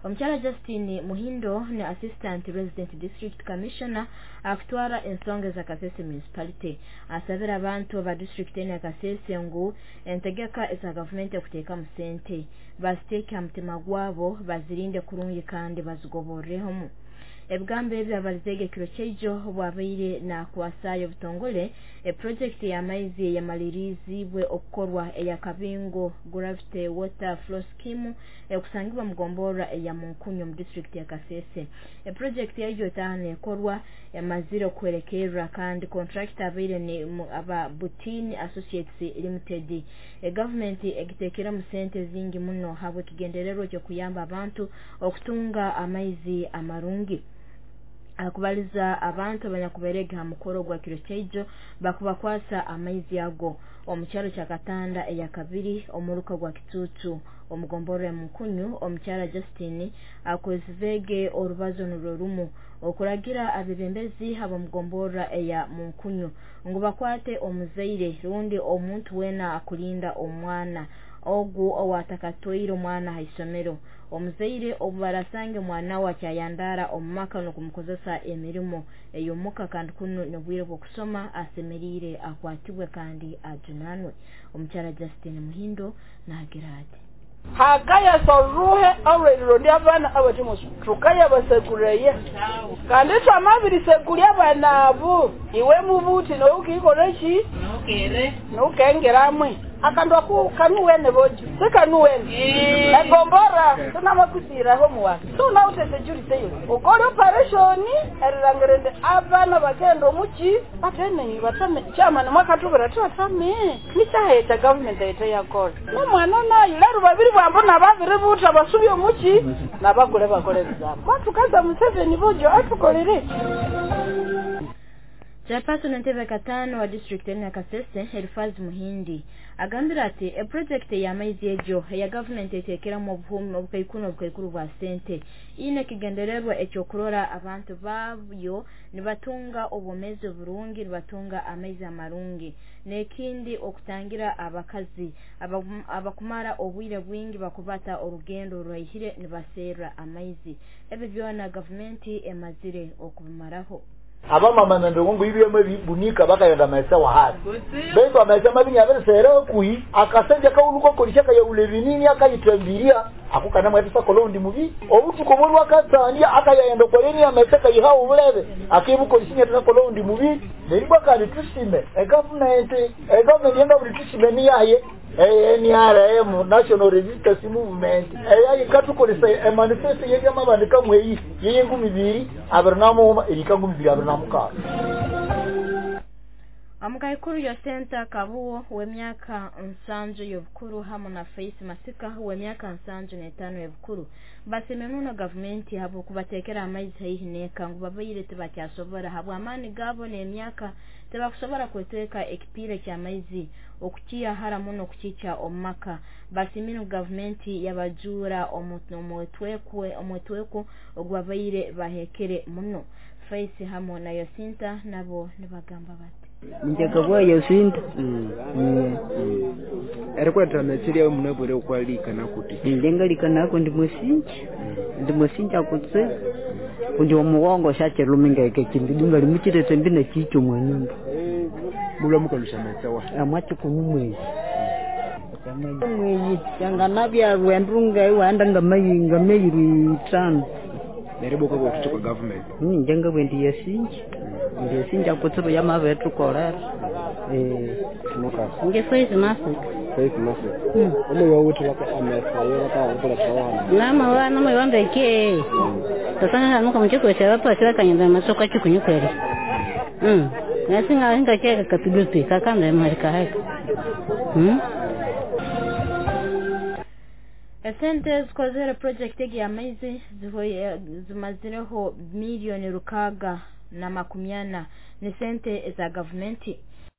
Omukyala Justine Muhindo ni Assistant Resident District Commissioner akutwara ensonga za Kasese Municipality asabira abantu ba district eno ya Kasese ngu entegeka eza gavumenti okuteekamu sente baziteeke ha mutima gwabo, bazirinde kurungi kandi bazigoborrehemu. Ebigambo ebi abalizeege ekiro kyaijo obwabaire nakwasaayo obutongole eprojekiti y'amaizi eyamaliriziibwe okukorwa eya Kabingo Gravity Water Flow Scheme ekusangibwa mu gomborra eya Munkunyu mu disitulikiti ya Kasese. Eprojekiti egyo etaaha neekorwa emazire okuhwerekerra kandi kontrakita abaire ni aba Butini Associates Limited. Egavumenti egiteekeremu sente zingi muno habw'ekigendererwa eky'okuyamba abantu okutunga amaizi amarungi. Akubaliza abantu abanyakubairege ha mukoro gwa kiro kyaijo bakubakwasa amaizi ago omu kyaro kya Katanda eyakabiri omuruka gwa Kitutu omu gomborra ya Munkunyu. Omukyala Justine akozezeege orubazo nurwo rumu okuragira abebembezi ab'omu gomborra eya Munkunyu ngu bakwate omuzaire rundi omuntu weena akulinda omwana ogu owaatakatwaire omwana ha isomero. Omuzaire obu barasange omwana we akyayandaara omu maka n'okumukozesa emirimo ey'omuka kandi kunu n'obwire bw'okusoma, asemeriire akwatibwe kandi ajunaanwe. Omukyala Justine Muhindo naagira ati. Hakayasa oruhe olw'erironda abaana abatimoso tukayabasekureye kandi twamabirisekurya abaana abo iwe mubuti noukikola ki nukengeramwe akandu aku kanuwene bojo sikanuwene egombora tunamakusiraho muwaka tunaute security yo ukole operation erilangirende abana bakenda omuki batene batame chama mwakatubira twatame nichaheta government ete yakola nomwana nayo lero babiri bwambo nababiri buta basubye omuki nabakule bakole bizamu kwatukaza Museveni bojo atukolere. Chairperson entebe katano wa district eno ya Kasese Elifaz Muhindi agambire ati eprojekiti y'amaizi egyo eya gavumenti eteekeramu obuhumi obukaikuru n'obukaikuru bwa sente ine ekigendererwa ekyokurora abantu baayo nibatunga obwomeezi oburungi, nibatunga amaizi amarungi, n'ekindi okutangira abakazi abakumara obwire bwingi bakubata orugendo oruraihire nibaserra amaizi. Ebi byona gavumenti emazire okubimaraho. Abamama nandongo ibyemo bibunika bakayenda maesa wa hasi baitu amaesa mabi nyaberesere kuhi akasenja kauluko kolishaka ya ulevinini akayitambiria akukana mwetisa kolondi mubi obutuko bolwa katsandia akayenda koleni amaesa kayihawo bulebe akibukolisinya tisa kolondi mubi neribwa kandi tusime egovernment yenga buli tusime ni yaye NRM National Resistance Movement eyayi katukolesa manifesto yebyamabandika mweyi yengumi bibiri abirinamu erikangumi bibiri abirinamukaga. Omukaikuru Yosenta Kabuwo w'emyaka 75 y'obukuru hamu na Faith Masika w'emyaka 75 y'obukuru basiimire muno gavumenti habw'okubateekera amaizi haihi n'eka ngu babaire tibakyasobora habw'amaani gaabo n'emyaka tibakusobora kwetweka ekipiira ky'amaizi okukiha hara muno okukikya omu maka. Basiimire ngu gavumenti yabajuura omwetweko ogubabaire baheekere muno. Faith hamu na Yosinta nabo nibagamba bati njagabwa Yosinta erikwetera metsiri yawe munabwire okwalikana kuti njengalikana ako ndi musinja kutse kundi omugongo shacheluminga ekindidunga limuchirete mbina chicho mwenyumba mulamukalusha metsawa amwachi kumumwezi mweyi yanganabya rwendunga iwanda ngamayinga meyiri 5 neriboka bwethu kwa government njenga bwendi yasinja ndiyasinja kutsibu yamavethu kolera nge Faith Masika. Faith Masika omo wawuthi laka amesa yo laka ukula tawana nama wana mo yondeke tatana nuka mchiko cha watu achira kanyenda masoka chikunyukwere nasinga hinga cheka katudupi kakanda mharika haka Esente zikozere project egi y'amaizi zimazireho miliyoni 640 ni sente za gavumenti.